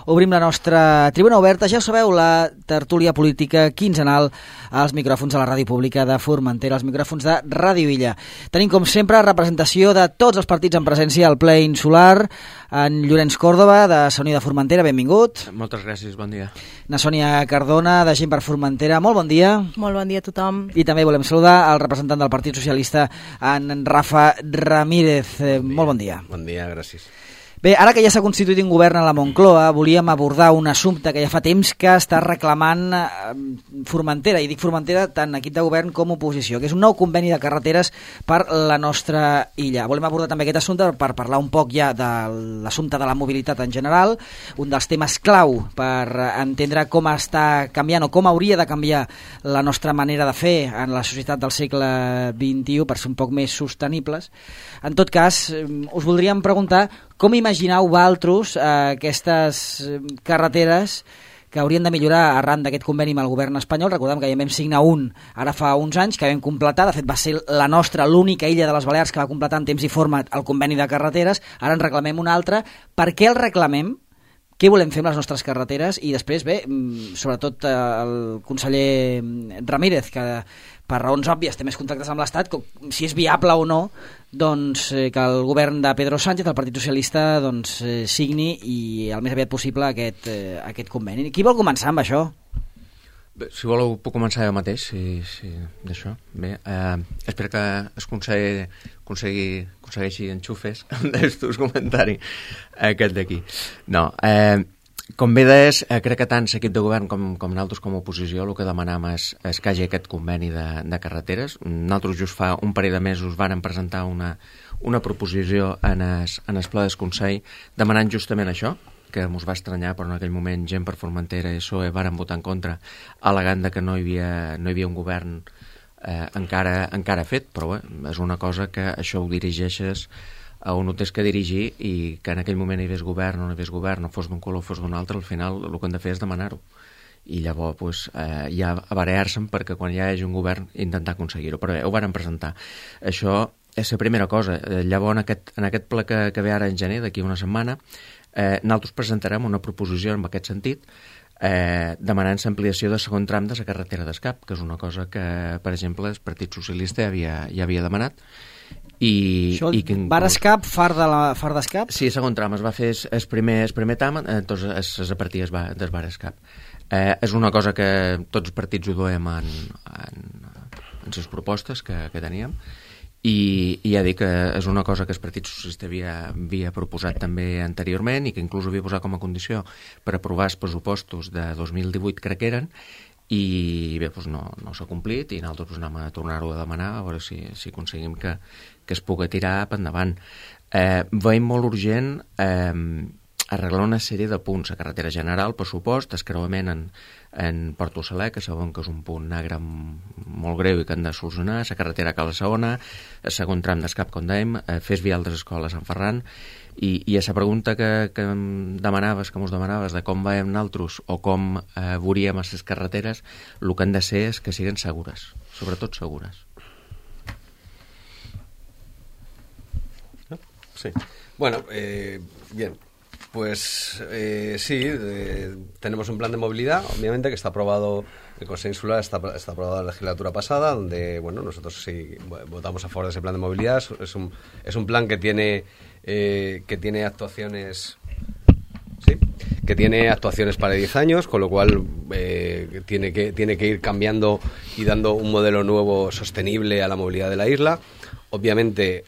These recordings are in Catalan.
obrim la nostra tribuna oberta. Ja ho sabeu, la tertúlia política quinzenal als micròfons de la ràdio pública de Formentera, als micròfons de Ràdio Illa. Tenim, com sempre, representació de tots els partits en presència al ple insular. En Llorenç Còrdova, de Sa Unió de Formentera, benvingut. Moltes gràcies, bon dia. Na Sònia Cardona, de Gent per Formentera, molt bon dia. Molt bon dia a tothom. I també volem saludar el representant del Partit Socialista, en Rafa Ramírez. Molt bon dia. Bon dia, gràcies. Bé, ara que ja s'ha constituït un govern a la Moncloa, volíem abordar un assumpte que ja fa temps que està reclamant Formentera, i dic Formentera tant equip de govern com oposició, que és un nou conveni de carreteres per la nostra illa. Volem abordar també aquest assumpte per parlar un poc ja de l'assumpte de la mobilitat en general, un dels temes clau per entendre com està canviant o com hauria de canviar la nostra manera de fer en la societat del segle XXI per ser un poc més sostenibles. En tot cas, us voldríem preguntar com imagineu vosaltres aquestes carreteres que haurien de millorar arran d'aquest conveni amb el govern espanyol? Recordem que ja vam signar un ara fa uns anys, que vam completar, de fet va ser la nostra, l'única illa de les Balears que va completar en temps i forma el conveni de carreteres, ara en reclamem un altre. Per què el reclamem? Què volem fer amb les nostres carreteres? I després, bé, sobretot el conseller Ramírez, que per raons òbvies té més contactes amb l'Estat, si és viable o no, doncs que el govern de Pedro Sánchez, el Partit Socialista, doncs signi i el més aviat possible aquest conveni. Qui vol començar amb això? Bé, si voleu puc començar jo mateix, d'això. Bé, espero que el aconsegueixi enxufes dels teus comentaris, aquest d'aquí. No, com bé deies, crec que tant l'equip de govern com nosaltres com a oposició el que demanam és que hi hagi aquest conveni de carreteres. Nosaltres just fa un parell de mesos vàrem presentar una proposició en el ple del Consell demanant justament això, que ens va estranyar, però en aquell moment Gent per Formentera i PSOE varen votar en contra, al·legant que no hi havia un govern encara fet, però bé, és una cosa que això ho dirigeixes a on ho tens que dirigir i que en aquell moment hi hagués govern o no hi hagués govern, no fos d'un color o fos d'un altre, al final el que hem de fer és demanar-ho. I llavors pues, ja barallar-se'n perquè quan hi hagi un govern intentar aconseguir-ho. Però bé, ho varen presentar. Això és la primera cosa. Llavors en aquest ple que ve ara en gener, d'aquí una setmana, nosaltres presentarem una proposició en aquest sentit demanant l'ampliació de segon tram de la carretera d'Escap, que és una cosa que, per exemple, el Partit Socialista ja havia demanat. Això, Bar Escap, Far d'Escap? Sí, segon tram, es va fer el primer tram, doncs es repartia del Bar Escap. És una cosa que tots els partits ho duem en les propostes que teníem, i ja dic que és una cosa que el Partit Socialista havia proposat també anteriorment i que inclús havia posat com a condició per aprovar els pressupostos de 2018, crec que eren, i bé, doncs no s'ha complit i nosaltres anem a tornar-ho a demanar a veure si aconseguim que es pugui tirar per endavant. Veiem molt urgent arreglar una sèrie de punts. La carretera general, per supost, el creuament en Porto Saler, que sabem que és un punt negre molt greu i que han de solucionar, la carretera a Cala Segona, el segon tram d'Escap, com dèiem, fes vial de l'escola Sant Ferran, i a la pregunta que mos demanaves de com veiem nosaltres o com veuríem les carreteres, el que han de ser és que siguin segures, sobretot segures. Sí. Bueno, bien. Pues sí, tenemos un plan de movilidad, obviamente, que está aprobado, el Consejo Insular está aprobado la legislatura pasada, donde, bueno, nosotros sí votamos a favor de ese plan de movilidad. Es un plan que tiene actuaciones... Sí, que tiene actuaciones para 10 años, con lo cual tiene que ir cambiando y dando un modelo nuevo sostenible a la movilidad de la isla. Obviamente,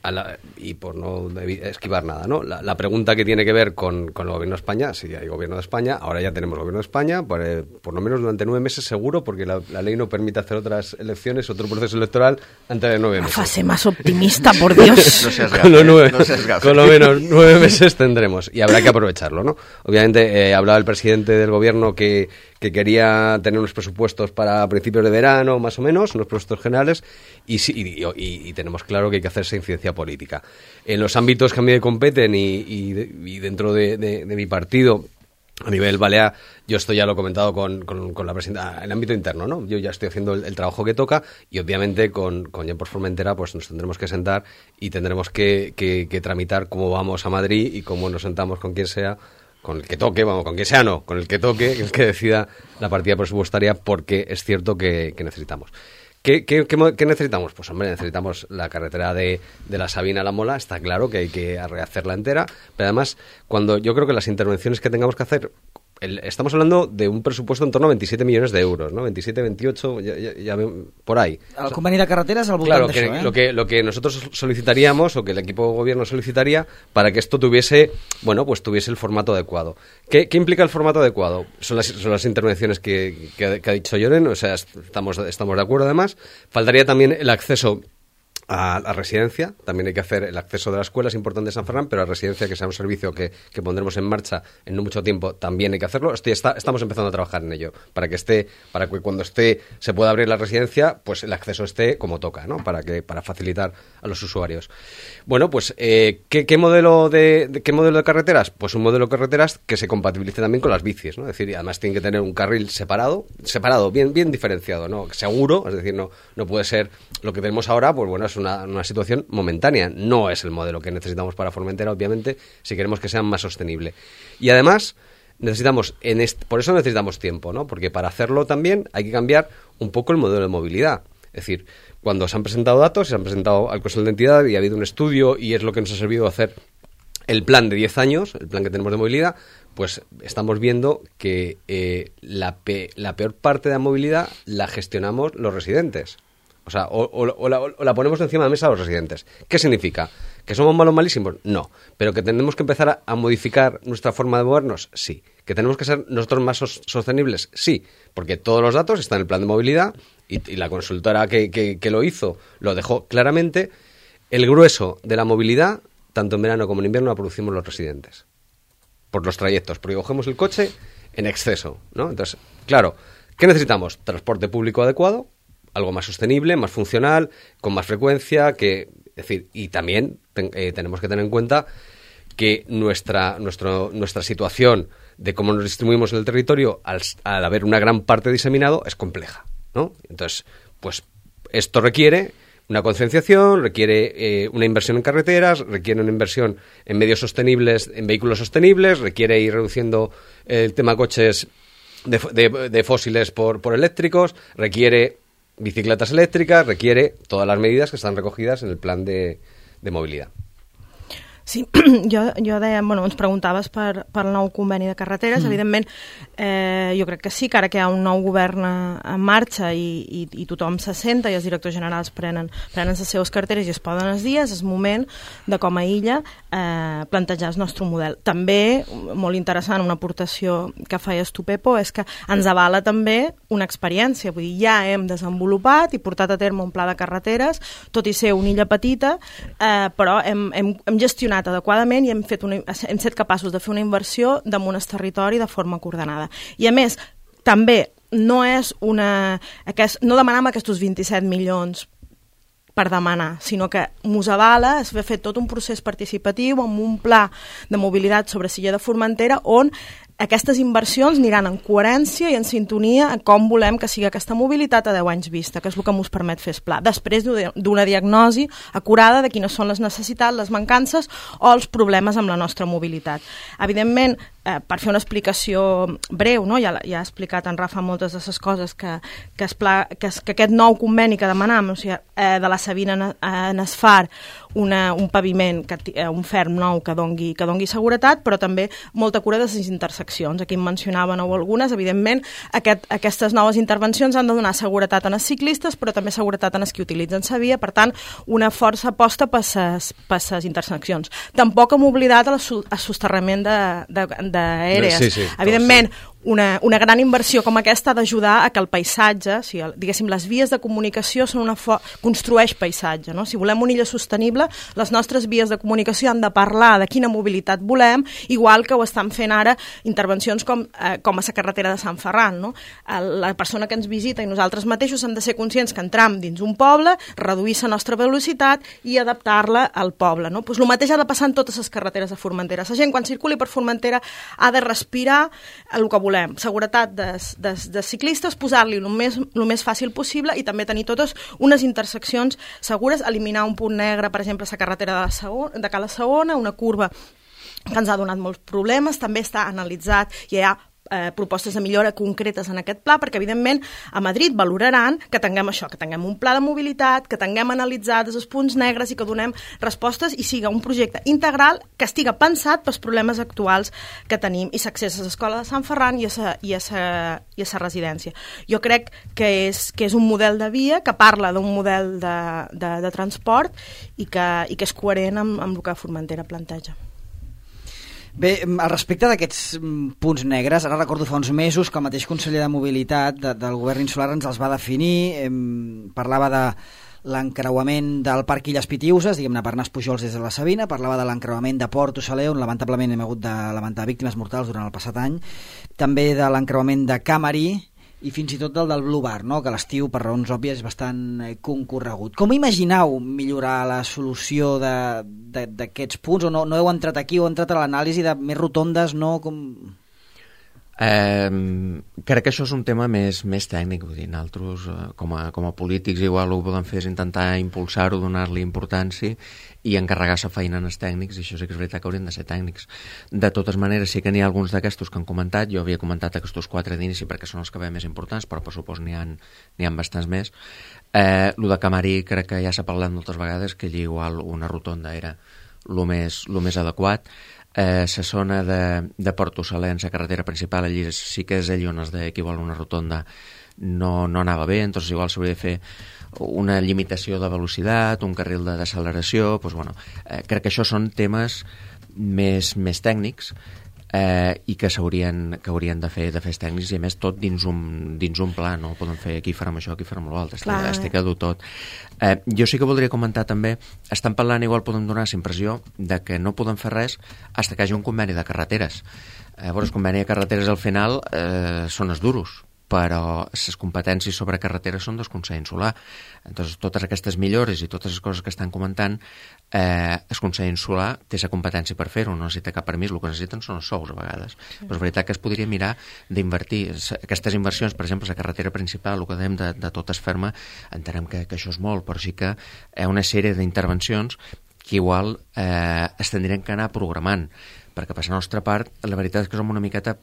y por no esquivar nada, ¿no? La pregunta que tiene que ver con el Gobierno de España, si hay Gobierno de España, ahora ya tenemos Gobierno de España, por lo menos durante 9 meses seguro, porque la ley no permite hacer otras elecciones, otro proceso electoral antes de 9 meses. La fase más optimista, por Dios. No seas gafe, con lo menos 9 meses tendremos, y habrá que aprovecharlo, ¿no? Obviamente, hablaba el presidente del Gobierno que quería tener unos presupuestos para principios de verano, más o menos, unos presupuestos generales, y tenemos claro que hay que hacer esa incidencia política. En los ámbitos que a mí me competen y dentro de mi partido, a nivel balear, yo esto ya lo he comentado con la presidenta, en el ámbito interno, ¿no? Yo ya estoy haciendo el trabajo que toca y obviamente con Gent per Formentera pues nos tendremos que sentar y tendremos que tramitar cómo vamos a Madrid y cómo nos sentamos con quien sea con el que toque, vamos, con quien sea no, con el que toque, el que decida la partida presupuestaria, porque es cierto que necesitamos. ¿Qué necesitamos? Pues hombre, necesitamos la carretera de la Sabina a la Mola, está claro que hay que rehacerla entera, pero además, cuando yo creo que las intervenciones que tengamos que hacer, estamos hablando de un presupuesto en torno a 27 millones de euros, ¿no? 27, 28, ya por ahí. El conveni de carreteres al voltant d'això, eh? Lo que nosotros solicitaríamos, o que el equipo de gobierno solicitaría, para que esto tuviese, bueno, pues tuviese el formato adecuado. ¿Qué implica el formato adecuado? Son las intervenciones que ha dicho Lloren, o sea, estamos de acuerdo además. Faltaría también el acceso a la residencia, también hay que hacer el acceso de la escuela, es importante San Ferran, pero la residencia, que sea un servicio que pondremos en marcha en no mucho tiempo, también hay que hacerlo. Estamos empezando a trabajar en ello, para que cuando se pueda abrir la residencia, pues el acceso esté como toca, ¿no? Para facilitar a los usuarios. Bueno, pues ¿qué modelo de carreteras? Pues un modelo de carreteras que se compatibilice también con las bicis, ¿no? Es decir, además tiene que tener un carril separado, bien diferenciado, ¿no? Seguro, es decir, no puede ser lo que tenemos ahora, pues bueno, es una situación momentánea, no es el modelo que necesitamos para Formentera, obviamente, si queremos que sea más sostenible. Y además por eso necesitamos tiempo, ¿no? Porque para hacerlo también hay que cambiar un poco el modelo de movilidad. Es decir, cuando se han presentado datos, se han presentado al Consejo de Entidad y ha habido un estudio, y es lo que nos ha servido hacer el plan de 10 años, el plan que tenemos de movilidad, pues estamos viendo que la peor parte de la movilidad la gestionamos los residentes. O sea, o la ponemos encima de la mesa a los residentes. ¿Qué significa? ¿Que somos malísimos? No. ¿Pero que tenemos que empezar a modificar nuestra forma de movernos? Sí. ¿Que tenemos que ser nosotros más sostenibles? Sí. Porque todos los datos están en el plan de movilidad y la consultora que lo hizo lo dejó claramente. El grueso de la movilidad, tanto en verano como en invierno, la producimos los residentes. Por los trayectos. Porque cogemos el coche en exceso, ¿no? Entonces, claro, ¿qué necesitamos? Transporte público adecuado, algo más sostenible, más funcional, con más frecuencia, y también tenemos que tener en cuenta que nuestra situación de cómo nos distribuimos en el territorio, al haber una gran parte diseminado, es compleja, ¿no? Entonces, pues esto requiere una concienciación, requiere una inversión en carreteras, requiere una inversión en medios sostenibles, en vehículos sostenibles, requiere ir reduciendo el tema coches de fósiles por eléctricos, requiere bicicletas eléctricas, requiere todas las medidas que están recogidas en el plan de movilidad. Sí, jo deia, bueno, ens preguntaves per el nou conveni de carreteres. Evidentment, jo crec que sí, que ara que hi ha un nou govern en marxa i tothom se senta i els directors generals prenen les seves carteres i es poden els dies, és moment de, com a illa, plantejar el nostre model. També, molt interessant, una aportació que feies tu, Pepo, és que ens avala també una experiència. Vull dir, ja hem desenvolupat i portat a terme un pla de carreteres, tot i ser una illa petita, però hem gestionat adequadament i hem set capaços de fer una inversió damunt el territori de forma coordenada. I a més, també no demanem aquests 27 milions per demanar, sinó que mos avala es va fer tot un procés participatiu amb un pla de mobilitat sobre Silla de Formentera on aquestes inversions aniran en coherència i en sintonia a com volem que sigui aquesta mobilitat a 10 anys vista, que és el que ens permet fer el pla, després d'una diagnosi acurada de quines són les necessitats, les mancances o els problemes amb la nostra mobilitat. Evidentment, per fer una explicació breu, no? Ja ha explicat en Rafa moltes de les coses que aquest nou conveni que demanam, o sigui, de la Sabina en Esfar, un paviment, un ferm nou que dongui seguretat, però també molta cura de les interseccions. Aquí en mencionaven algunes. Evidentment, aquestes noves intervencions han de donar seguretat a els ciclistes, però també seguretat a els que utilitzen la via, per tant, una força aposta per les interseccions. Tampoc hem oblidat el sosterrament d'aèries. Sí, evidentment, una gran inversió com aquesta ha d'ajudar a que el paisatge, diguéssim, les vies de comunicació construeix paisatge, no? Si volem una illa sostenible, les nostres vies de comunicació han de parlar de quina mobilitat volem, igual que ho estan fent ara intervencions com a la carretera de Sant Ferran, no? La persona que ens visita i nosaltres mateixos hem de ser conscients que entram dins un poble, reduir la nostra velocitat i adaptar-la al poble, no? Pues el mateix ha de passar en totes les carreteres de Formentera. La gent, quan circuli per Formentera, ha de respirar el que volem. Seguretat de ciclistes, posar-li el més fàcil possible i també tenir totes unes interseccions segures, eliminar un punt negre, per exemple, a la carretera de Cala Segona, una curva que ens ha donat molts problemes, també està analitzat i hi ha propostes de millora concretes en aquest pla, perquè evidentment a Madrid valoraran que tinguem això, que tinguem un pla de mobilitat, que tinguem analitzats els punts negres i que donem respostes i siga un projecte integral que estiga pensat pels problemes actuals que tenim i s'accessa a l'escola de Sant Ferran i a sa residència. Jo crec que és un model de via que parla d'un model de transport i que és coherent amb el que Formentera planteja. Bé, al respecte d'aquests punts negres, ara recordo fa uns mesos que el mateix conseller de Mobilitat del govern insular ens els va definir, parlava de l'encreuament del Parc Illes Pitiüses, diguem-ne per Nas Pujols des de la Sabina, parlava de l'encreuament de Port Osaler, on lamentablement hem hagut de lamentar víctimes mortals durant el passat any, també de l'encreuament de Camari, i fins i tot del Blue Bar, no? Que l'estiu, per raons òbvies, és bastant concorregut. Com imagineu millorar la solució d'aquests punts? O no heu entrat aquí, o heu entrat a l'anàlisi de més rotondes, no? Crec que això és un tema més tècnic, vull dir, nosaltres com a polítics igual el que podem fer és intentar impulsar-ho, donar-li importància i encarregar-se feina als tècnics, i això sí que és veritat que haurien de ser tècnics. De totes maneres, sí que n'hi ha alguns d'aquestos que han comentat, jo havia comentat aquests 4 d'inici perquè són els que veiem més importants, però per supost n'hi ha bastants més. Lo de Camari crec que ja s'ha parlat moltes vegades, que allí igual una rotonda era lo més adequat. La zona de Port Osaler, en la carretera principal, allí sí que és allí on es deia que igual una rotonda no anava bé, entonces igual s'hauria de fer una limitació de velocitat, un carril de deceleració, doncs, bueno, crec que això són temes més tècnics i que haurien de fer els tècnics, i a més tot dins un pla, no podem fer aquí farem això, aquí farem l'altre, estic a dur tot. Jo sí que voldria comentar també, estan parlant, igual podem donar la impressió de que no podem fer res fins que hi hagi un conveni de carreteres. El conveni de carreteres al final són els duros, però les competències sobre carreteres són del Consell Insular. Entonces, totes aquestes millores i totes les coses que estan comentant, el Consell Insular té la competència per fer-ho, no necessita cap permís, el que necessiten són els sous a vegades. Però és veritat que es podria mirar d'invertir aquestes inversions, per exemple, la carretera principal, el que dèiem de tot es ferma, entenem que això és molt, però sí que hi ha una sèrie d'intervencions que igual es tindrien que anar programant, perquè per la nostra part la veritat és que som una miqueta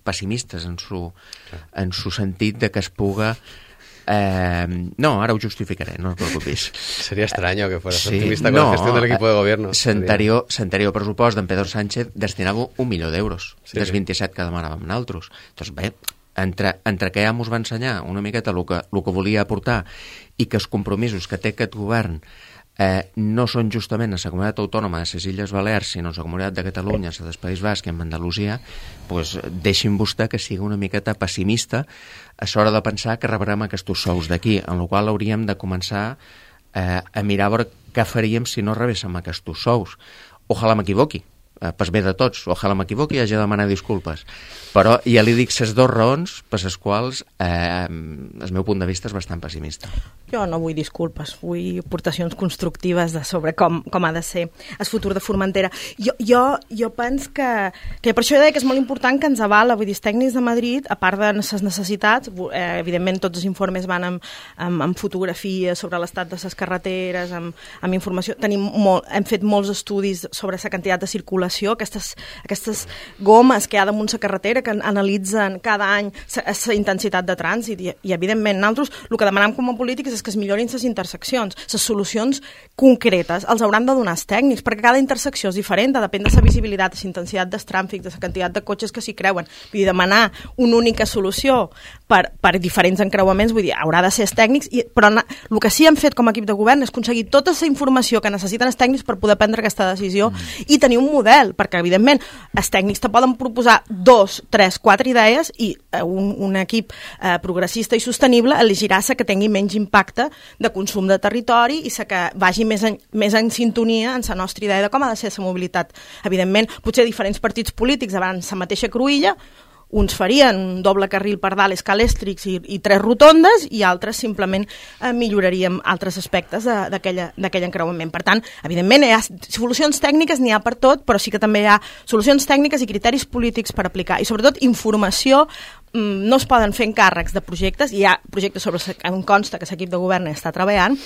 pessimistes en su sentit de que es puga... no, ara ho justificaré, no us preocupis. Sería extraño que fueras optimista con la gestión del equipo de gobierno. L'anterior pressupost d'en Pedro Sánchez destinava 1 milió d'euros, dels 27 que demanàvem nosaltres. Doncs bé, entre que ja ens va ensenyar una miqueta el que volia aportar i que els compromisos que té aquest govern no són justament a la comunitat autònoma de les Illes Balears, sinó a la comunitat de Catalunya, a del País Basc i en Andalusia, doncs deixin vostè que sigui una miqueta pessimista a l'hora de pensar que rebrem aquests sous d'aquí, en la qual hauríem de començar a mirar a veure què faríem si no rebéssim aquests sous. Ojalà m'equivoqui, pas bé de tots, ojalà m'equivoqui i hagi de demanar disculpes, però ja li dic les 2 raons per les quals el meu punt de vista és bastant pessimista. Jo no vull disculpes, vull aportacions constructives sobre com ha de ser el futur de Formentera. Jo penso que per això deia que és molt important que ens avala, vull dir, els tècnics de Madrid, a part de les necessitats, evidentment tots els informes van amb fotografies sobre l'estat de les carreteres, amb informació, hem fet molts estudis sobre la quantitat de circulació, aquestes gomes que hi ha damunt la carretera que analitzen cada any la intensitat de trànsit i evidentment nosaltres el que demanem com a polítics és que es millorin les interseccions, les solucions concretes els hauran de donar els tècnics, perquè cada intersecció és diferent, depèn de la visibilitat, de la intensitat del trànsit, de la quantitat de cotxes que s'hi creuen. Vull dir, demanar una única solució per diferents encreuaments, vull dir, haurà de ser els tècnics, però el que sí hem fet com a equip de govern és aconseguir tota la informació que necessiten els tècnics per poder prendre aquesta decisió i tenir un model, perquè evidentment els tècnics te poden proposar 2, 3, 4 idees i un equip progressista i sostenible elegirà la que tingui menys impacte de consum de territori i la que vagi més en sintonia en la nostra idea de com ha de ser la mobilitat. Evidentment, potser diferents partits polítics abans la mateixa cruïlla, uns farien un doble carril per dalt, escalèstrics i 3 rotondes, i altres simplement milloraríem altres aspectes d'aquell encreuament. Per tant, evidentment, hi ha solucions tècniques, n'hi ha per tot, però sí que també hi ha solucions tècniques i criteris polítics per aplicar. I sobretot informació, no es poden fer encàrrecs de projectes, hi ha projectes sobre què em consta que l'equip de govern està treballant,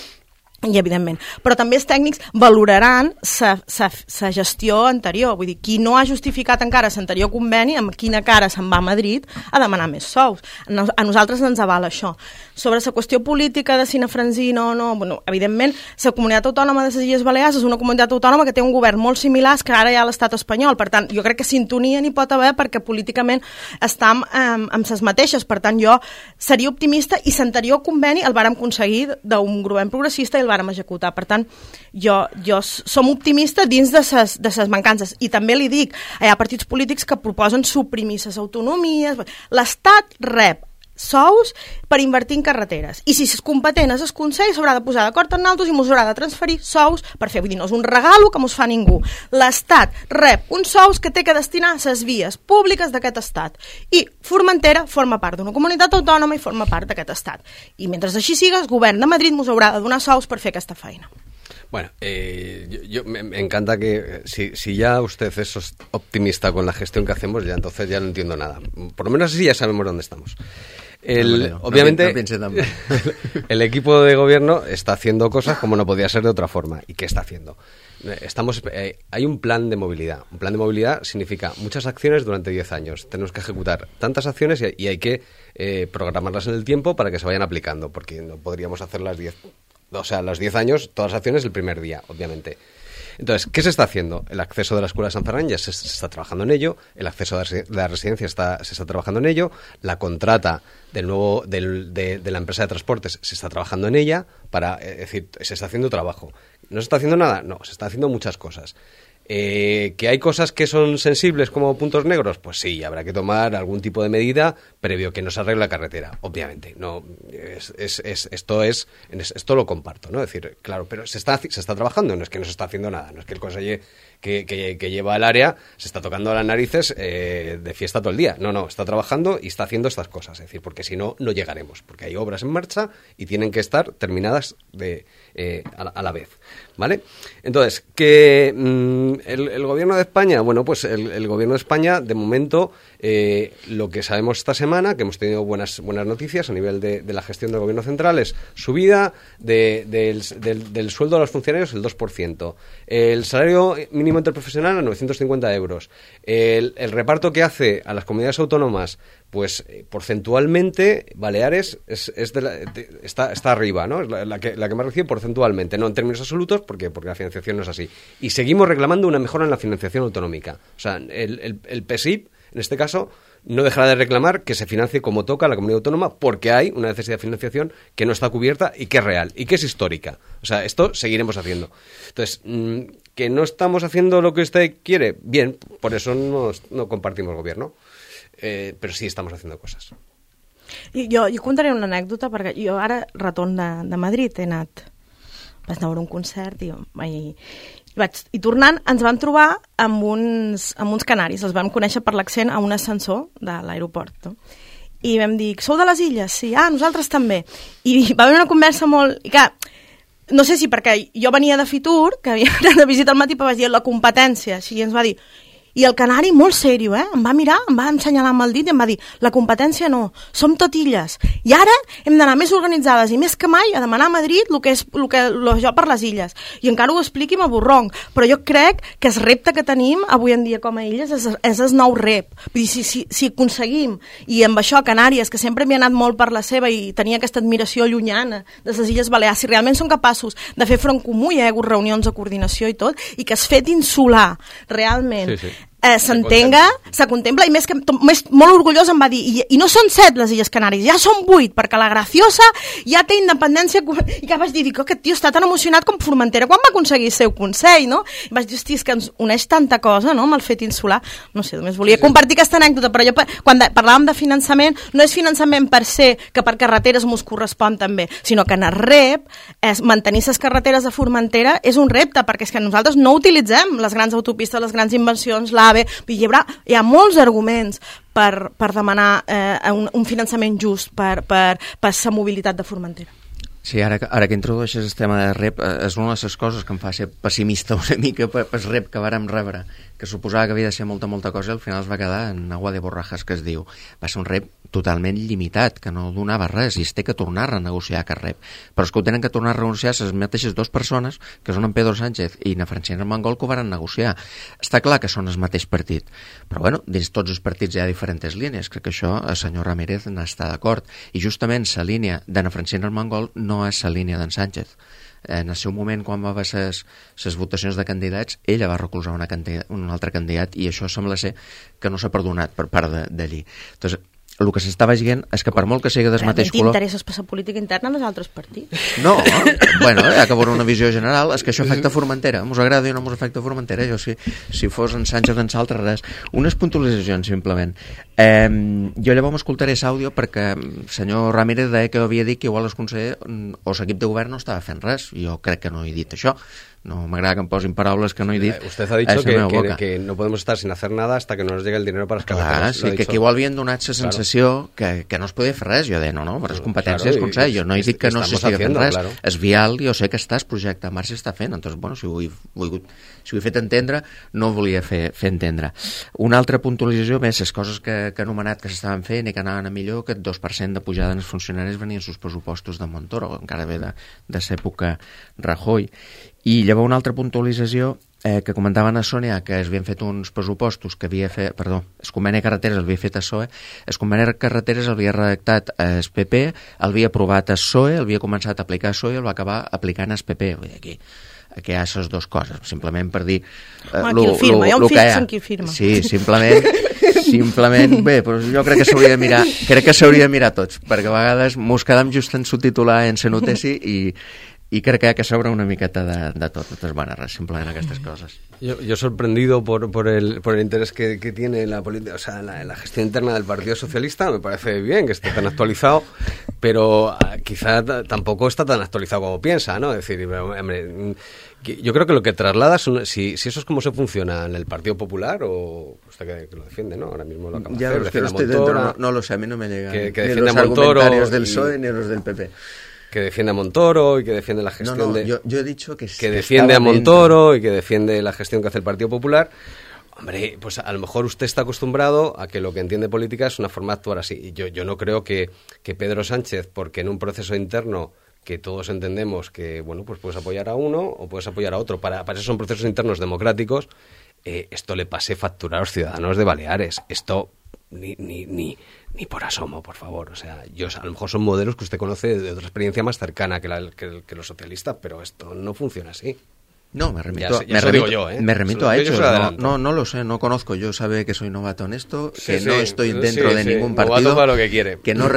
i evidentment, però també els tècnics valoraran sa gestió anterior, vull dir, qui no ha justificat encara l'anterior conveni, amb quina cara se'n va a Madrid a demanar més sous. A nosaltres ens avala això. Sobre la qüestió política de si Nafranzí no, bueno, evidentment, la comunitat autònoma de les Illes Balears és una comunitat autònoma que té un govern molt similar que ara hi ha a l'estat espanyol, per tant, jo crec que sintonia n'hi pot haver perquè políticament estem amb les mateixes, per tant, jo seria optimista i l'anterior conveni el vàrem aconseguir d'un govern progressista i el vàrem executar. Per tant, jo som optimistes dins de ses mancances. I també li dic, hi ha partits polítics que proposen suprimir les autonomies. L'Estat rep sous per invertir en carreteres. I si és competent és el Consell, s'haurà de posar d'acord amb nosaltres i mos haurà de transferir sous per fer. Vull dir, no és un regalo que mos fa ningú. L'Estat rep uns sous que té que destinar a les vies públiques d'aquest estat. I Formentera forma part d'una comunitat autònoma i forma part d'aquest estat. I mentre així siga, el govern de Madrid mos haurà de donar sous per fer aquesta feina. Bueno, me encanta que si ya usted es optimista con la gestión que hacemos, ya entonces ya no entiendo nada. Por lo menos así ya sabemos dónde estamos. Obviamente, el equipo de gobierno está haciendo cosas como no podía ser de otra forma. ¿Y qué está haciendo? Hay un plan de movilidad. Un plan de movilidad significa muchas acciones durante 10 años. Tenemos que ejecutar tantas acciones y hay que programarlas en el tiempo para que se vayan aplicando, porque no podríamos hacer las 10 años, todas las acciones el primer día, obviamente. Entonces, ¿qué se está haciendo? El acceso de la Escuela de San Ferran ya se está trabajando en ello, el acceso de la residencia se está trabajando en ello, la contrata de la empresa de transportes se está trabajando en ella, es decir, se está haciendo trabajo. ¿No se está haciendo nada? No, se está haciendo muchas cosas. ¿Que hay cosas que son sensibles como puntos negros? Pues sí, habrá que tomar algún tipo de medida previo que no se arregle la carretera, obviamente. No, esto lo comparto, ¿no? Es decir, claro, pero se está trabajando, no es que no se está haciendo nada, no es que el conseller que lleva el área se está tocando las narices de fiesta todo el día. No, está trabajando y está haciendo estas cosas, es decir, porque si no, no llegaremos, porque hay obras en marcha y tienen que estar terminadas a la vez, ¿vale? Entonces, que el gobierno de España, bueno, pues el gobierno de España, de momento, lo que sabemos esta semana, que hemos tenido buenas noticias a nivel de la gestión del gobierno central, es subida del sueldo de los funcionarios el 2%, el salario mínimo interprofesional a 950 euros, el reparto que hace a las comunidades autónomas, pues porcentualmente Baleares está arriba, ¿no? Es la que más recibe porcentualmente, no en términos absolutos, porque la financiación no es así. Y seguimos reclamando una mejora en la financiación autonómica. O sea, el PSIP, en este caso, no dejará de reclamar que se financie como toca la comunidad autónoma, porque hay una necesidad de financiación que no está cubierta y que es real y que es histórica. O sea, esto seguiremos haciendo. Entonces, que no estamos haciendo lo que usted quiere, bien, por eso no compartimos gobierno. Però sí, estamos haciendo cosas. Jo contaré una anècdota, perquè jo ara retorn de Madrid, vaig anar a veure un concert i tornant ens vam trobar amb uns canaris, els vam conèixer per l'accent a un ascensor de l'aeroport, no? I vam dir, sou de les Illes? Sí, nosaltres també. I va haver una conversa molt... I que, no sé si perquè jo venia de Fitur, que havia anat de visita al matí, però vaig dir la competència, així, i ens va dir... I el canari, molt serio, em va mirar, em va ensenyalar amb el dit i em va dir, la competència no, som tot illes. I ara hem d'anar més organitzades i més que mai a demanar a Madrid el que és jo per les illes. I encara ho expliqui amb borronc, però jo crec que el repte que tenim avui en dia com a illes és el nou rep. Vull dir, si aconseguim, i amb això Canàries, que sempre m'hi ha anat molt per la seva i tenia aquesta admiració llunyana de les Illes Balears, si realment són capaços de fer front comú, hi ha hagut reunions de coordinació i tot, i que es fet insular realment... Sí. S'entenga, se contempla, i molt orgullós em va dir, i no són 7 les Illes Canàries, ja són 8, perquè la Graciosa ja té independència, i que vaig dir, aquest tio està tan emocionat com Formentera quan va aconseguir el seu Consell, no? I vaig dir, hosti, és que ens uneix tanta cosa, no?, amb el fet insular. No sé, només volia compartir aquesta anècdota, però jo, quan parlàvem de finançament, no és finançament per ser que per carreteres mos correspon també, sinó que en el REP, mantenir les carreteres de Formentera és un repte, perquè és que nosaltres no utilitzem les grans autopistes, les grans inversions, hi ha molts arguments per demanar un finançament just per la mobilitat de Formentera. Sí, ara que introdueixes el tema de REP, és una de les coses que em fa ser pessimista una mica pel REP que vàrem rebre, que suposava que havia de ser molta cosa i al final es va quedar en agua de borrajas, que es diu. Va ser un rep totalment limitat, que no donava res, i es té que tornar a renegociar aquest rep. Però és que ho tenen que tornar a renegociar les mateixes dues persones, que són en Pedro Sánchez i na Francina Armengol, que ho van negociar. Està clar que són el mateix partit, però bueno, dins tots els partits hi ha diferents línies. Crec que això el senyor Ramírez n'està d'acord, i justament la línia de na Francina Armengol no és la línia d'en Sánchez. En el seu moment, quan va haver les votacions de candidats, ella va recolzar un altre candidat, i això sembla ser que no s'ha perdonat per part d'allí. Entonces, el que s'estava dient és que per molt que sigui del mateix color... T'interesses per la política interna dels altres partits? No, bueno, hi ha que veure una visió general. És que això afecta Formentera. Mos agrada o no mos afecta Formentera. Jo, si fos en Sánchez en Saltre, res. Unes puntualitzacions, simplement. Jo llavors m'escoltaré l'àudio perquè el senyor Ramírez deia que havia dit que igual el conseller o l'equip de govern no estava fent res. Jo crec que no he dit això. No m'agrada que em posin paraules que no he dit. Usted ha dicho que no podemos estar sin hacer nada hasta que no nos llegue el dinero para las carreteras. Clar, sí, que igual havien donat la sensació que no es podia fer res. Jo deia, no, però és competència del Consell. Jo no he dit que no s'estigui fent res. És vial, jo sé que el projecte en marxa està fent. Entonces, bueno, si ho he fet entendre, no ho volia fer entendre. Una altra puntualització, més, les coses que he anomenat que s'estaven fent i que anaven a millor, que el 2% de pujada en els funcionaris venien sus pressupostos de Montoro, encara ve de l'època Rajoy. I llavors una altra puntualització que comentaven a Sònia, que es havien fet uns pressupostos que havia fet, perdó, el conveni de carreteres el havia fet a PSOE, el conveni de carreteres el havia redactat el PP, el havia aprovat a PSOE, el havia començat a aplicar a PSOE i el va acabar aplicant al PP. Vull dir, aquí hi ha les dues coses, simplement per dir qui el firma, hi ha un fix en qui el firma. Sí, simplement bé, però jo crec que s'hauria de mirar tots, perquè a vegades mos quedam just en subtitular en la notícia y creo que hay que sobrar una miqueta de tot. Entonces, bueno, simplemente aquestes cosas. Yo sorprendido por el interés que tiene en la política, o sea, en la gestión interna del Partido Socialista. Me parece bien que esté tan actualizado, pero quizá tampoco está tan actualizado como piensa, ¿no? Es decir, hombre, yo creo que lo que traslada si eso es como se funciona en el Partido Popular, o usted que lo defiende, ¿no? Ahora mismo lo acaba de hacer. Ya, que no estoy dentro, no lo sé, a mí no me llegan que ni los argumentarios del PSOE ni los del PP. Que defiende a Montoro y que defiende la gestión yo he dicho que defiende a Montoro dentro. Y que defiende la gestión que hace el Partido Popular. Hombre, pues a lo mejor usted está acostumbrado a que lo que entiende política es una forma de actuar así. Y yo no creo que Pedro Sánchez, porque en un proceso interno que todos entendemos que, bueno, pues puedes apoyar a uno o puedes apoyar a otro, para eso son procesos internos democráticos, esto le pase factura a los ciudadanos de Baleares. Esto ni por asomo, por favor. O sea, a lo mejor son modelos que usted conoce de otra experiencia más cercana que los socialistas, pero esto no funciona así. No, me remito a hechos. No lo sé, no conozco. Yo sabe que soy novato en esto, que no estoy dentro de ningún partido, para lo que quiere. Que no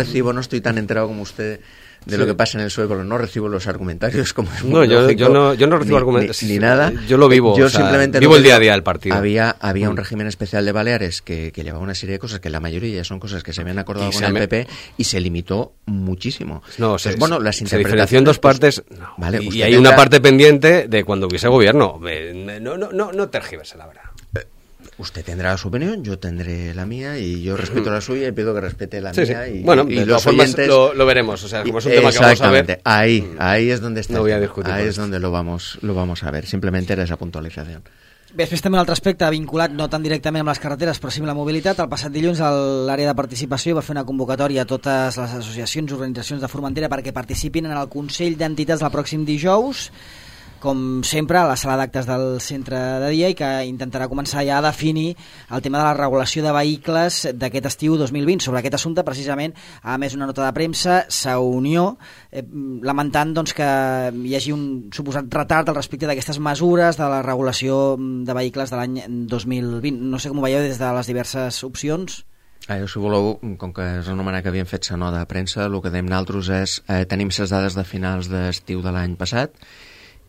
estoy tan enterado como usted de lo que pasa en el PSOE, pero no recibo los argumentarios como es muy lógico, yo no recibo argumentos ni nada. Yo lo vivo, simplemente vivo el día a día del partido. Había un régimen especial de Baleares que llevaba una serie de cosas que la mayoría son cosas que se habían acordado con el PP y se limitó muchísimo. No, entonces, las interpretaciones, se diferenció en dos partes, vale, y hay una parte pendiente de cuando hubiese gobierno. No tergiverse, la verdad. Usted tendrá su opinión, yo tendré la mía y yo respeto la suya y pido que respete la mía. Sí. Bueno, de todas formas lo veremos, o sea, como es un tema que vamos a ver. Ahí es donde está. No voy a discutir. Ahí es donde lo vamos a ver. Simplemente era esa puntualització. Bé, després també un altre aspecte vinculat no tan directament amb les carreteres però sí amb la mobilitat. El passat dilluns l'àrea de participació va fer una convocatòria a totes les associacions i organitzacions de Formentera perquè participin en el Consell d'Entitats del pròxim dijous, com sempre, a la sala d'actes del centre de dia, i que intentarà començar ja a definir el tema de la regulació de vehicles d'aquest estiu 2020. Sobre aquest assumpte, precisament, a més una nota de premsa, Unió, lamentant doncs, que hi hagi un suposat retard al respecte d'aquestes mesures de la regulació de vehicles de l'any 2020. No sé com ho veieu des de les diverses opcions. Si voleu, com que és anomenat que havien fet la nota de premsa, el que dèiem nosaltres és tenim les dades de finals d'estiu de l'any passat,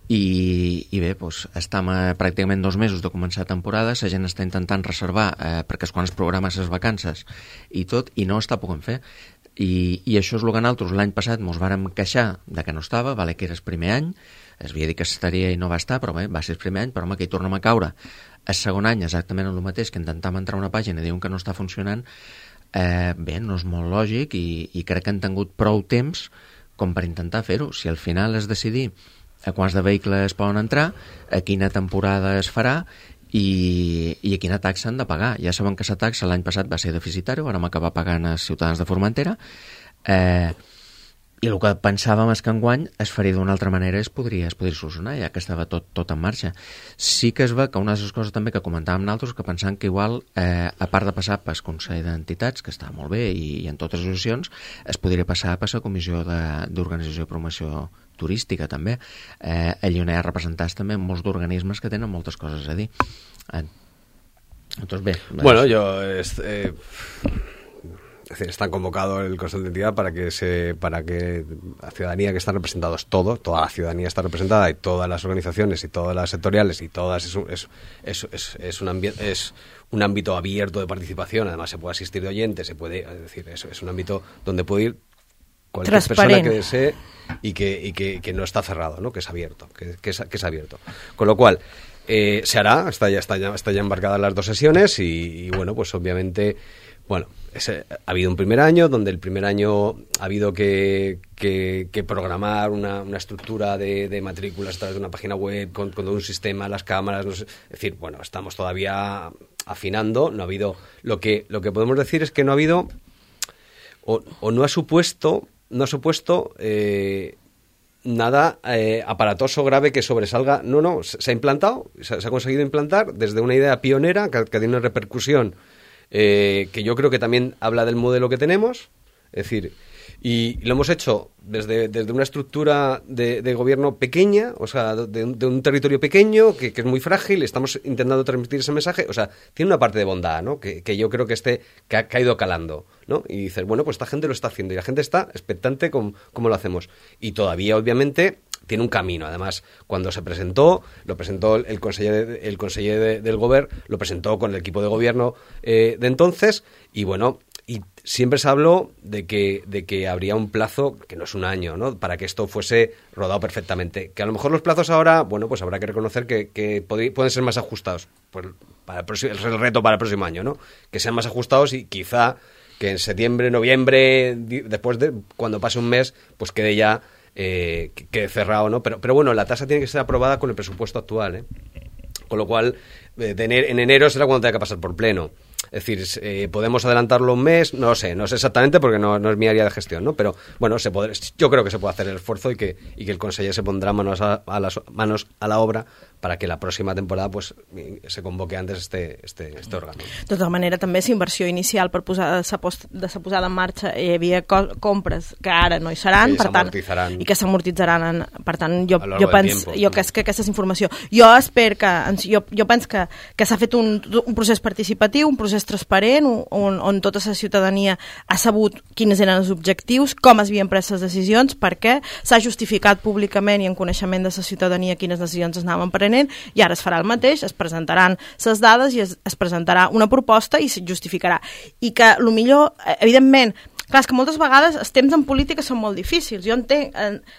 i bé, doncs, estem a pràcticament 2 mesos de començar temporada, la gent està intentant reservar perquè és quan es programen les vacances i tot, i no està podent fer, i això és el que nosaltres l'any passat ens vàrem queixar de que no estava, vale, que era el primer any, es havia dit que estaria i no va estar, però bé, va ser el primer any, però home, que hi tornem a caure el segon any exactament el mateix, que intentam entrar a una pàgina i diuen que no està funcionant. Bé, no és molt lògic, i crec que han tingut prou temps com per intentar fer-ho. Si al final es decidir a quants de vehicles poden entrar, a quina temporada es farà, i quina taxa han de pagar. Ja saben que aquesta taxa l'any passat va ser deficitària, vam acabar pagant els ciutadans de Formentera, i el que pensàvem és que enguany es faria d'una altra manera i es podria solucionar, ja que estava tot en marxa. Sí que es va que una de les coses també que comentàvem nosaltres, que pensant que igual, a part de passar pel Consell d'Entitats, que està molt bé, i en totes les associacions, es podria passar per la Comissió d'Organització i Promoció Turística, també. Allí on hi ha representats també molts d'organismes que tenen moltes coses a dir. Entonces, bé... Bueno, Es decir, está convocado el Consejo de Entidad para que la ciudadanía que están representados toda la ciudadanía está representada, y todas las organizaciones y todas las sectoriales y todas es un ámbito abierto de participación. Además se puede asistir de oyentes, es decir, es un ámbito donde puede ir cualquier persona que desee y que no está cerrado, ¿no? Que es abierto, que es abierto. Con lo cual se hará, está ya embarcadas las 2 sesiones y bueno, pues obviamente. Bueno, ha habido un primer año, donde el primer año ha habido que programar una estructura de matrículas a través de una página web, con todo un sistema, las cámaras, no sé, es decir, bueno, estamos todavía afinando, no ha habido, lo que podemos decir es que no ha habido, o no ha supuesto nada aparatoso grave que sobresalga, no, se ha implantado, se ha conseguido implantar desde una idea pionera que tiene una repercusión que yo creo que también habla del modelo que tenemos, es decir, y lo hemos hecho desde una estructura de gobierno pequeña, o sea, de un territorio pequeño que es muy frágil. Estamos intentando transmitir ese mensaje, o sea, tiene una parte de bondad, ¿no? Que yo creo que ha ido calando, ¿no? Y dices, bueno, pues esta gente lo está haciendo y la gente está expectante con cómo lo hacemos, y todavía obviamente tiene un camino. Además, cuando lo presentó el conseller del Govern, lo presentó con el equipo de gobierno de entonces, y bueno, y siempre se habló de que habría un plazo, que no es un año, ¿no?, para que esto fuese rodado perfectamente. Que a lo mejor los plazos ahora, bueno, pues habrá que reconocer que pueden ser más ajustados. Pues el reto para el próximo año, ¿no? Que sean más ajustados, y quizá que en septiembre, noviembre, después de cuando pase un mes, pues quede ya quede cerrado, ¿no? Pero bueno, la tasa tiene que ser aprobada con el presupuesto actual, ¿eh? Con lo cual, en enero será cuando tenga que pasar por pleno. Es decir, podemos adelantarlo un mes, no sé exactamente, porque no es mi área de gestión, ¿no? Pero bueno, yo creo que se puede hacer el esfuerzo, y que el conseller se pondrá manos a la obra para que la próxima temporada pues se convoque antes este órgano. De tota manera, també és inversió inicial per de sa posada en marxa. Hi havia compres que ara no hi seran, per tant, i que s'amortitzaran. Per tant, jo penso que aquesta és informació. Jo penso que s'ha fet un procés participatiu, un procés transparent, on tota la ciutadania ha sabut quins eren els objectius, com es havien pres les decisions, perquè s'ha justificat públicament i en coneixement de la ciutadania quines decisions es anaven prenent, i ara es farà el mateix, es presentaran les dades i es presentarà una proposta i es justificarà. I que, millor, evidentment, clar, és que moltes vegades els temps en política són molt difícils. Jo entenc,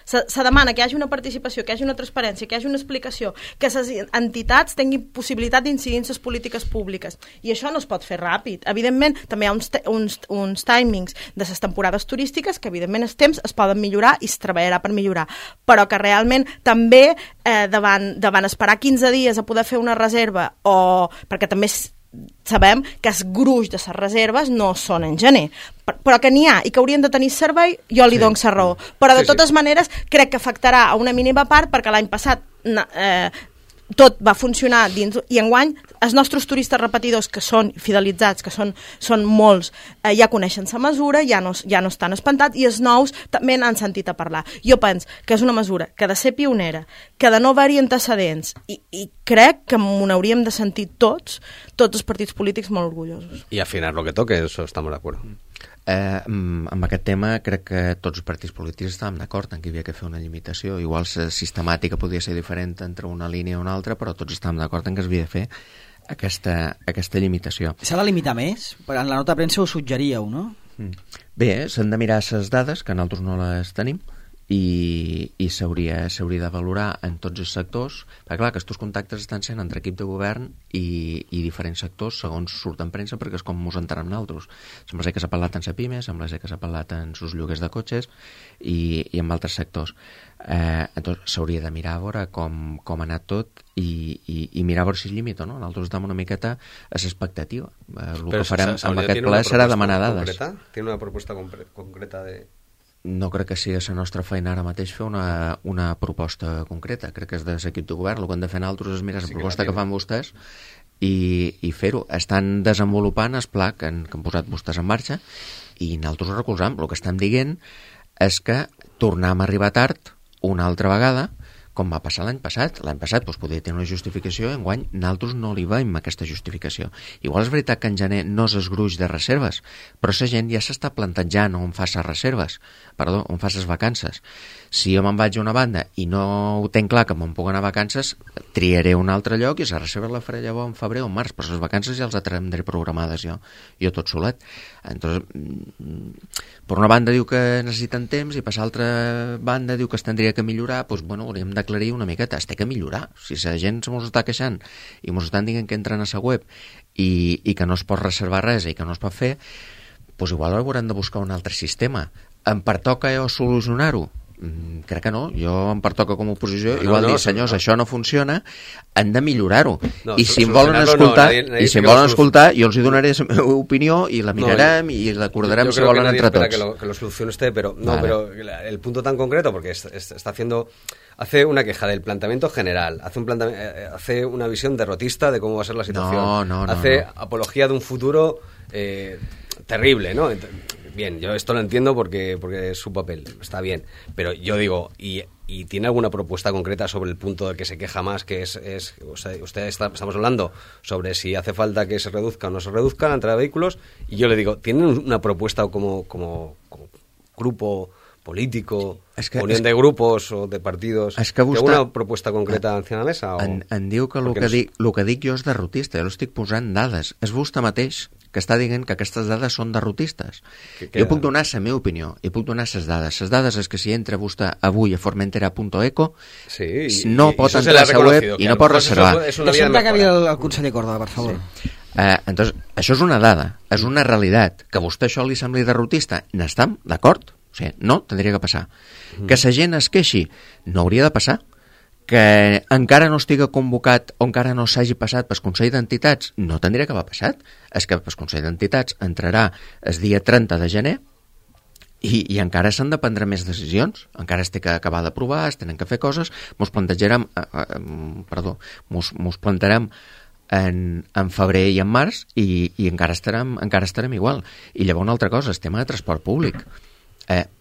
se demana que hi hagi una participació, que hi hagi una transparència, que hi hagi una explicació, que les entitats tinguin possibilitat d'incidir en les polítiques públiques. I això no es pot fer ràpid. Evidentment, també hi ha uns timings de les temporades turístiques que, evidentment, els temps es poden millorar i es treballarà per millorar. Però que realment també davant esperar 15 dies a poder fer una reserva, perquè també sabem que els gruix de les reserves no són en gener, però que n'hi ha i que haurien de tenir servei, jo li dono la raó. Però de totes maneres crec que afectarà a una mínima part, perquè l'any passat tot va funcionar dins, i enguany els nostres turistes repetidors, que són fidelitzats, que són molts, ja coneixen la mesura, ja no estan espantats, i els nous també n'han sentit a parlar. Jo penso que és una mesura que ha de ser pionera, que de no haver-hi antecedents, i crec que m'ho hauríem de sentir tots els partits polítics molt orgullosos. I afinar lo que toque, eso estamos de acuerdo. Amb aquest tema crec que tots els partits polítics estàvem d'acord en que hi havia que fer una limitació. Igual la sistemàtica podia ser diferent entre una línia i una altra, però tots estàvem d'acord en que es havia de fer aquesta limitació. S'ha de limitar més? En la nota de premsa ho suggeríeu, no? Bé, s'han de mirar les dades, que nosaltres no les tenim, i s'hauria de valorar en tots els sectors, perquè clar, aquests contactes estan sent entre equip de govern i diferents sectors segons surt en premsa, perquè és com ens entenem nosaltres. Sembla ser que s'ha parlat en la PIME, sembla ser que s'ha parlat en sus lloguers de cotxes i en altres sectors. Entonces s'hauria de mirar a veure com ha anat tot i mirar a veure si es limita, no? Nosaltres estem una miqueta a l'expectativa. El que farem amb aquest ple serà demanar dades. ¿Tiene una propuesta concreta de...? No crec que sigui la nostra feina ara mateix fer una proposta concreta. Crec que és de l'equip de govern. El que hem de fer nosaltres és mirar la proposta que fan vostès i fer-ho. Estan desenvolupant el pla que han posat vostès en marxa i nosaltres ho recolzam. El que estem dient és que tornem a arribar tard una altra vegada, com va passar l'any passat. L'any passat podia tenir una justificació, enguany nosaltres no li veiem aquesta justificació. Igual és veritat que en gener no és el gruix de reserves, però la gent ja s'està plantejant on fa les reserves, on fa les vacances. Si jo me'n vaig a una banda i no ho tenc clar que me'n puc anar a vacances, triaré un altre lloc i la reserva la faré llavors en febrer o en març, però les vacances ja les tindré programades jo tot solet. Entonces, per una banda diu que necessiten temps i per l'altra banda diu que es tindria que millorar, doncs bueno, hauríem d'aclarir una miqueta, es té que millorar. Si la gent se mos està queixant i mos estan dient que entren a la web i que no es pot reservar res i que no es pot fer, doncs igual haurem de buscar un altre sistema. Em pertoca solucionar-ho? Crec que no, jo em pertoca com a oposició igual dir, senyors, això no funciona, han de millorar-ho, i si em volen escoltar jo els hi donaré la meva opinió i la mirarem i l'acordarem si volen entre tots. Que lo solucione usted, pero el punto tan concreto, porque hace una queja del planteamiento general, hace una visión derrotista de cómo va a ser la situación, hace apología de un futuro terrible, ¿no? Bien, yo esto lo entiendo porque es su papel, está bien, pero yo digo, ¿y tiene alguna propuesta concreta sobre el punto del que se queja más, que estamos hablando sobre si hace falta que se reduzca o no se reduzca la entrada de vehículos, y yo le digo, ¿tienen una propuesta como grupo político, unión de grupos o de partidos, alguna propuesta concreta encima de la mesa? Em diu que el que dic jo és derrotista, jo estic posant dades, és vostè mateix que està dient que aquestes dades són derrotistes. Jo puc donar la meva opinió i puc donar les dades. Les dades és que si entra vostè avui a formentera.eco no pot entrar a la web i no pot reservar. Deixem que acabi el conseller Córdoba, per favor. Entonces, això és una dada, és una realitat. Que a vostè això li sembli derrotista, n'estem d'acord? O sigui, no, tindria que passar. Que la gent es queixi, no hauria de passar. Que encara no estiga convocat o encara no s'hagi passat pel Consell d'Entitats, no tindria que haver passat. És que pel Consell d'Entitats entrarà el dia 30 de gener i encara s'han de prendre més decisions, encara es té que acabar d'aprovar, es tenen que fer coses, mos plantarem en febrer i en març i encara estarem igual. I llavors una altra cosa, el tema de transport públic.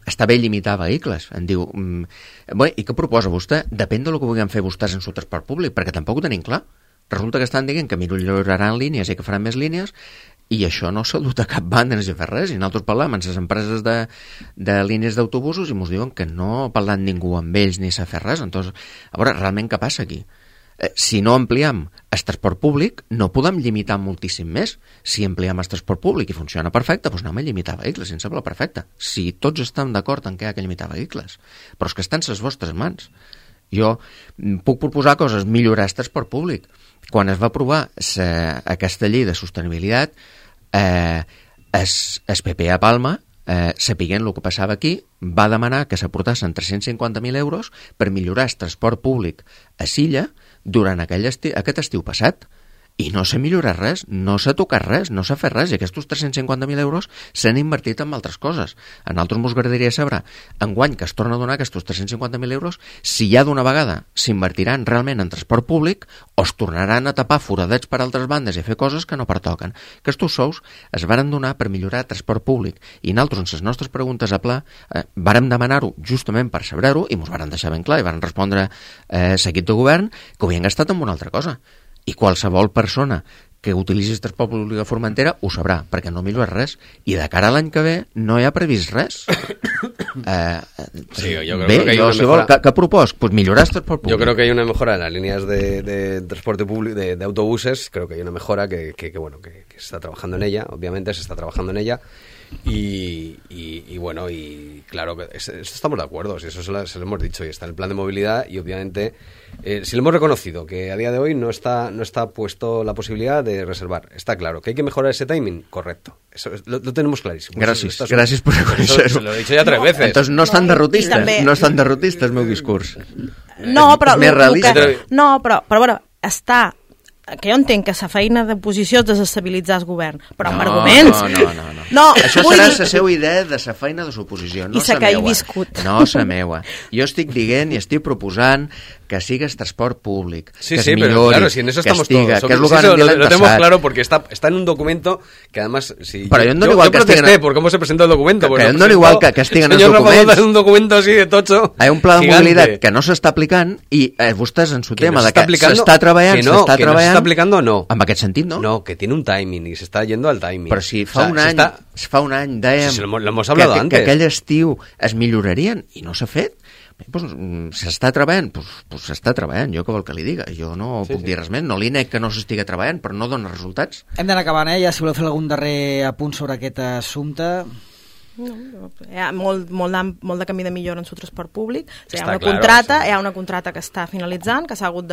Està bé limitar vehicles. Em diu, i què proposa vostè? Depèn del que vulguem fer vostès en el transport públic, perquè tampoc ho tenim clar. Resulta que estan dient que milloraran línies i que faran més línies i això no s'ha dut a cap banda, no s'ha fet res. I nosaltres parlem amb les empreses de línies d'autobusos i ens diuen que no ha parlat ningú amb ells ni s'ha fet res. Entonces, a veure, realment què passa aquí? Si no ampliem el transport públic, no podem limitar moltíssim més. Si ampliem el transport públic i funciona perfecte, doncs anem a limitar vehicles, em sembla perfecte. Si tots estem d'acord en què hi ha que limitar vehicles. Però és que estan les vostres mans. Jo puc proposar coses, millorar el transport públic. Quan es va aprovar aquesta llei de sostenibilitat, el PP a Palma, sapiguent el que passava aquí, va demanar que s'aportassin 350.000 euros per millorar el transport públic a Silla durant aquest estiu passat. I no s'ha millorat res, no s'ha tocat res, no s'ha fet res, i aquests 350.000 euros s'han invertit en altres coses. A nosaltres ens agradaria saber, enguany que es torna a donar aquests 350.000 euros, si ja d'una vegada s'invertiran realment en transport públic o es tornaran a tapar foradets per altres bandes i a fer coses que no pertoquen. Aquests sous es varen donar per millorar el transport públic i nosaltres, en les nostres preguntes a pla, vàrem demanar-ho justament per saber-ho i ens varen deixar ben clar i varen respondre l'equip de govern que ho havien gastat en una altra cosa. I qualsevol persona que utilitzi el transport públic a Formentera ho sabrà, perquè no millora res. I de cara a l'any que ve no hi ha previst res. ¿Qué propos? Pues millorar el transport público. Yo creo que hay una mejora en las líneas de transporte público, de autobuses. Creo que hay una mejora que se está trabajando en ella, obviamente se está trabajando en ella. Y bueno, y claro, eso estamos de acuerdo, si eso se lo hemos dicho, y está en el plan de movilidad, y obviamente si lo hemos reconocido, que a día de hoy no está puesto la posibilidad de reservar. Está claro que hay que mejorar ese timing, correcto. Eso lo tenemos clarísimo. Gràcies per reconèixer-ho. Se lo he dicho ya 3 veces. Entonces no estan derrotistes, també... no estan derrotistes, el meu discurs. No, però... És més realista. però bueno, està... que jo entenc que la feina d'oposició és desestabilitzar el govern, però amb arguments... No. Això serà la seva idea de la feina de l'oposició, no la la meua. viscut. No la meua. Jo estic dient i estic proposant que siga el transport públic, sí, que es millori, millori, claro, si en eso estamos estiga, todos. que és el que van dir l'any lo tenemos passat. claro porque está en un documento que además... Si però yo protesté por cómo se presentó el documento. Que no igual que estiguen els documents. Señor un documento así de tocho. Hay un pla de mobilitat que no s'està aplicant i vostès en su tema de que s'està treballant, que no s'està aplicando, no. En aquest sentit, no? No, que tiene un timing y se está yendo al timing. Però si fa un any dèiem que aquell estiu es millorarien i no s'ha fet, pues, s'està treballant, pues s'està treballant, jo què vol que li diga, jo no puc dir res més, no li nec que no s'estigui treballant, però no dona resultats. Hem d'anar acabant, ja si voleu fer algun darrer apunt sobre aquest assumpte. No, hi ha molt de camí de millora en el transport públic. O sigui, hi ha una contracta que està finalitzant, que s'ha hagut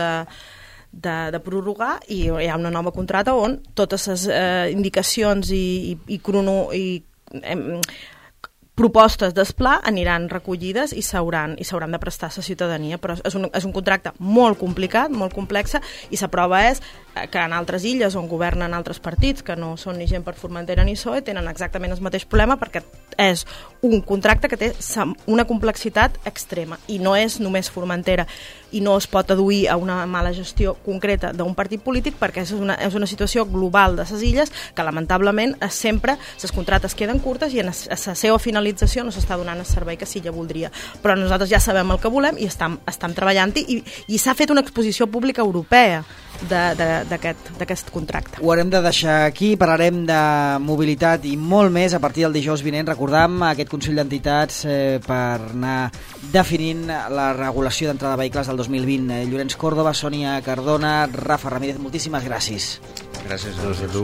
de prorrogar, i hi ha una nova contracta on totes les indicacions i propostes d'espla aniran recollides i s'hauran de prestar a la ciutadania, però és un contracte molt complicat, molt complex, i la prova és que en altres illes on governen altres partits, que no són ni gent per Formentera ni PSOE, tenen exactament el mateix problema, perquè és un contracte que té una complexitat extrema, i no és només Formentera, i no es pot aduir a una mala gestió concreta d'un partit polític, perquè és una situació global de les illes que lamentablement sempre les contractes queden curtes i a la seva finalització no s'està donant el servei que l'illa voldria. Però nosaltres ja sabem el que volem i estem treballant-hi, i s'ha fet una exposició pública europea d'aquest contracte. Ho haurem de deixar aquí, parlarem de mobilitat i molt més a partir del dijous vinent. Recordam aquest Consell d'Entitats per anar definint la regulació d'entrada de vehicles del 2020. Llorenç Córdoba, Sònia Cardona, Rafa Ramírez, moltíssimes gràcies. Gràcies a tu.